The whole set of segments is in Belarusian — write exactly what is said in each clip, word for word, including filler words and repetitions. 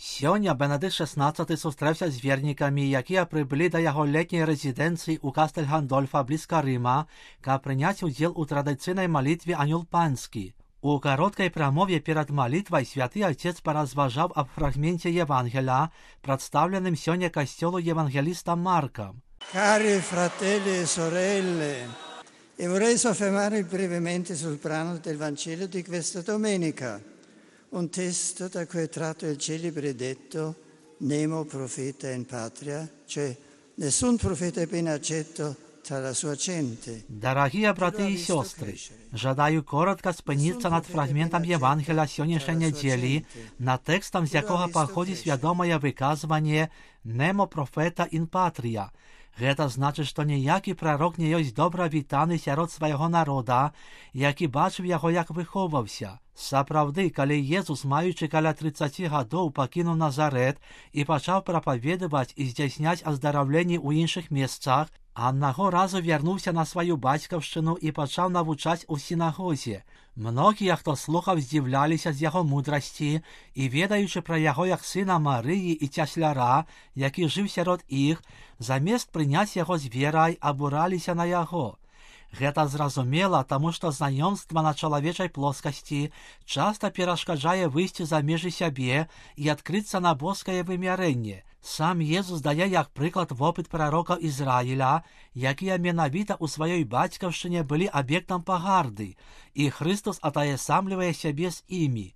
Сёння Бенедикт шестнадцаты сустрэўся з вернікамі, якія прыбылі да яго летняй рэзідэнцыі ў Кастэль-Гандольфа блізка Рыма, каб прыняць удзел у традыцыйнай малітве «Анёл панскі». У кароткай прамове перад малітвай святы Отец паразважаў аб фрагменце Евангеля, прадстаўленым сёння касцёлу евангелістам Маркам. Cari fratelli e sorelle, e vorrei soffermarmi brevemente sul brano del Vangelo di questa domenica, un testo da cui è tratto il celebre detto «Nemo profeta in patria», cioè nessun profeta è ben accetto tra la sua gente. Дорогие браты и сестры, жадаю коротко спыніцца над фрагментам Евангеля сённяшняй нядзелі, над тэкстам, з якога паходзіць вядомае выказванне «Nemo profeta in patria». Гэта значыць, што ніякі прарок не ёсць добра вітаны сярод свайго народа, які бачыў яго, як выхоўваўся. Сапраўды, калі Езус, маючы каля трыццаці гадоў, пакінуў Назарэт і пачаў прапаведаваць і здзяйсняць аздараўленні ў іншых месцах, аднаго разу вярнуўся на сваю бацькаўшчыну і пачаў навучаць у сінагозе. Многія, хто слухаў, здзіўляліся з яго мудрасці і, ведаючы пра яго як сына Марыі і цясляра, які жыў сярод іх, замест прыняць яго з верай, абураліся на яго. Гэта зразумела, таму што знаёмства на чалавечай плоскасці часта перашкаджае выйсці за межы сябе і адкрыцца на боскае вымярэнне. Сам Езус дае як прыклад вопыт прарока Ізраіля, якія менавіта ў сваёй бацькаўшчыне былі аб'ектам пагарды, і Хрыстос атаясамлівае сябе з імі.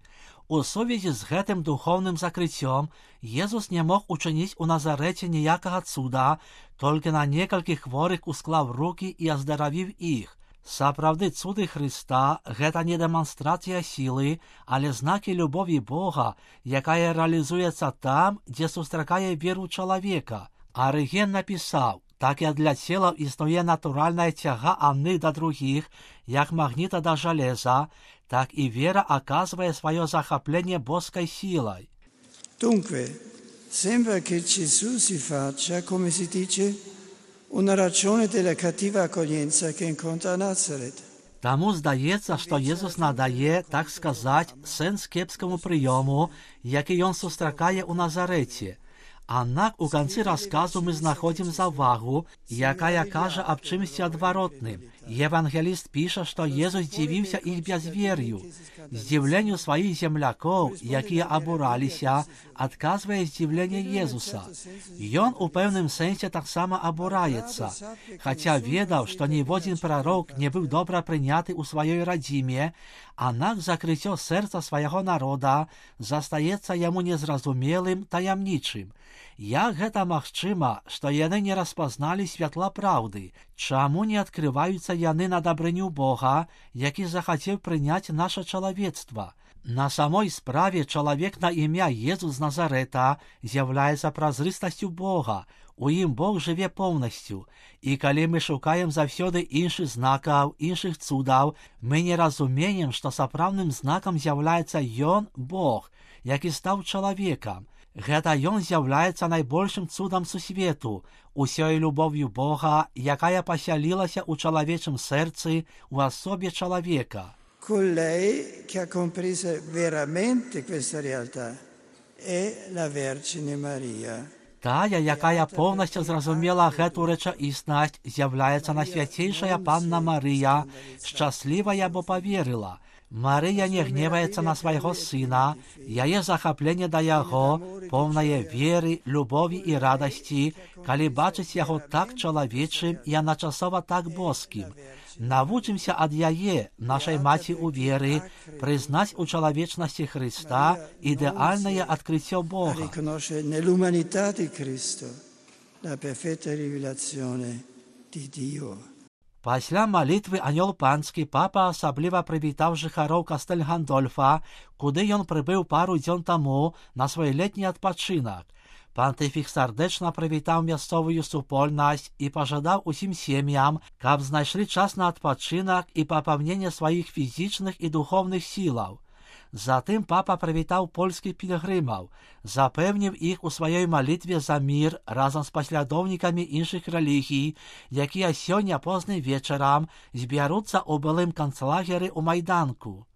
У сувязі з гэтым духоўным закрыццём Езус не мог учыніць у Назарэце ніякага цуда, толькі на некалькіх хворых усклаў рукі і аздаравіў іх. Сапраўды, цуды Хрыста – гэта не дэманстрацыя сілы, але знакі любові Бога, якая рэалізуецца там, дзе сустракае веру чалавека. Арыген напісаў: «Так як для целаў існуе натуральная цяга адных да другіх, як магніта да жалеза, так і вера аказвае сваё захапленне боскай сілай». Dunque, sembra che Gesù si faccia, come si dice, una ragione della cattiva accoglienza che incontra a Nazareth. Таму здаецца, што Езус надае, так сказаць, сэнс кепскаму прыёму, які ён сустракае ў Назарэце. Аднак у канцы расказу мы знаходзім заўвагу, якая кажа аб чымсьці адваротным. Евангеліст піша, што Езус дзівіўся іх бязвер'ю. Здзіўленню сваіх землякоў, якія абураліся, адказвае здзіўленне Езуса. Ён у пэўным сэнсе таксама абураецца, хаця ведаў, што ніводзін прарок не быў добра прыняты ў сваёй радзіме, аднак закрыццё сэрца свайго народа застаецца яму незразумелым, таямнічым. Як гэта магчыма, што яны не распазналі святла праўды? Чаму не адкрываюцца яны на дабрыню Бога, які захацеў прыняць наша чалавецтва? На самой справе чалавек на імя Езус з Назарэта з'яўляецца празрыстасцю Бога. У ім Бог жыве поўнасцю. І калі мы шукаем заўсёды іншых знакаў, іншых цудаў, мы не разумеем, што сапраўдным знакам з'яўляецца Ён, Бог, які стаў чалавекам. Гэта ён з'яўляецца найбольшым цудам сусвету, усёй любов'ю Бога, якая пасялілася ў чалавечым сэрцы у асобе чалавека. Colei che ha compreso veramente questa realtà è la Vergine Maria. Тая, якая поўнасцю зразумела гэту рэчаіснасць, з'яўляецца найсвяцейшая Панна Марыя, шчаслівая, бо паверыла. Марыя не гневаецца на свайго сына, яе захапленне да яго, поўнае веры, любові і радасці, калі бачыць яго так чалавечым і адначасова так боскім. Навучымся ад яе, нашай маці ў веры, прызнаць у чалавечнасці Хрыста ідэальнае адкрыццё Бога. Nell'umanità di Cristo la perfetta rivelazione di Dio. Пасля малітвы «Анёл панскі» папа асабліва прывітаў жыхароў Кастэль-Гандольфа, куды ён прыбыў пару дзён таму на свой летні адпачынак. Пантыфік сардэчна прывітаў мясцовую супольнасць і пажадаў усім сем'ям, каб знайшлі час на адпачынак і папаўненне сваіх фізічных і духоўных сілаў. Затым папа прывітаў польскіх пілігрымаў, запэўніў іх у сваёй малітве за мір разам з паслядоўнікамі іншых рэлігій, якія сёння позным вечарам збяруцца ў былым канцлагеры ў Майданку.